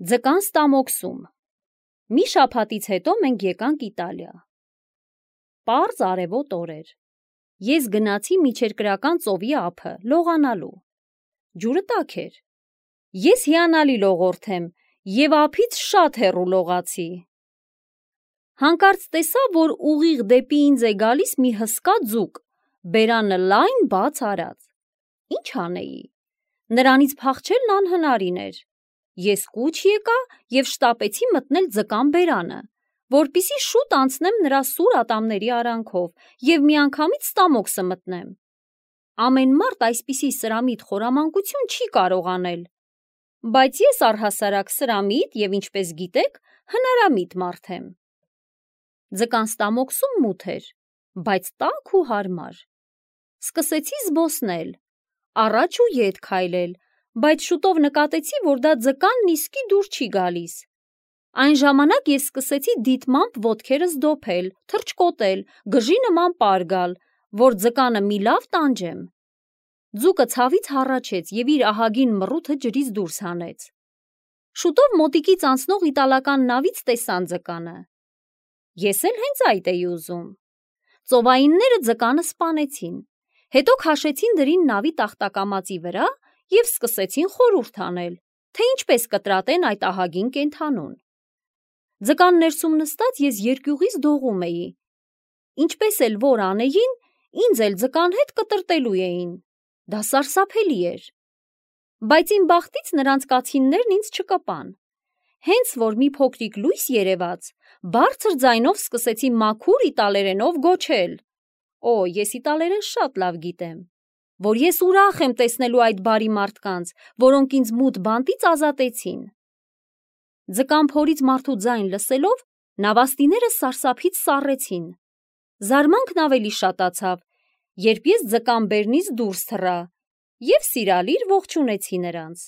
Ձկան ստամոքսում։ Մի շաբաթից հետո մենք եկանք Իտալիա։ Պարզ արևոտ օր էր։ Ես գնացի միջերկրական ծովի ափը լողանալու։ Ջուրը տաք էր։ Ես հիանալի լողորդ եմ և ափից շատ հեռու լողացի։ Հանկարծ տեսա, որ ուղիղ դեպի ինձ է գալիս մի հսկա ձուկ, բերանը լայն բաց արած։ Ինչ անեի։ Նրանից փախչելն անհնարին էր։ Ես կուչ եկա և շտապեցի մտնել ձկան բերանը, որպեսզի շուտ անցնեմ նրա սուր ատամների արանքով և միանգամից ստամոքսը մտնեմ։ Ամեն մարդ այսպիսի սրամիտ խորամանկություն չի կարող անել, բայց ես առհասարակ սրամիտ և, ինչպես գիտեք, հնարամիտ մարդ եմ։ Ձկան ստամոքսում մութ էր, բայց տաք ու հարմար։ Սկսեցի զբոսնել, առաջ ու ետ քայլել, բայց շուտով նկատեցի, որ դա ձկանն իսկի դուր չի գալիս։ Այն ժամանակ ես սկսեցի դիտմամբ ոտքերս դոփել, թռչկոտել, գժի նման պար գալ, որ ձկանը մի լավ տանջեմ։ Ձուկը ցավից հառաչեց և իր ահագին մռութը ջրից դուրս հանեց։ Շուտով մոտիկից անցնող իտալական նավից տեսան ձկանը։ Ես էլ հենց այդ էի ուզում։ Ծովայինները ձկանը սպանեցին, հետո քաշեցին դրին նավի տախտակամածի վրա և սկսեցին խորհուրդ անել, թե ինչպես կտրատեն այդ ահագին կենդանուն։ Ձկան ներսում նստած ես երկյուղից դողում էի։ Ինչպես էլ որ անեին, ինձ էլ ձկան հետ կտրատելու էին։ Դա սարսափելի էր։ Բայց իմ բախտից նրանց կացիններն ինձ չկպան։ Հենց որ մի փոքրիկ լույս երևաց, բարձր ձայնով սկսեցի մաքուր իտալերենով գոչել. «Օ, ես իտալերեն շատ լավ գիտեմ, որ ես ուրախ եմ տեսնելու այդ բարի մարդկանց, որոնք ինձ մութ բանտից ազատեցին»։ Ձկան փորից մարդու ձայն լսելով, նավաստիները սարսափից սառեցին։ Զարմանքն ավելի շատացավ, երբ ես ձկան բերնից դուրս թռա և սիրալիր ողջունեցի նրանց։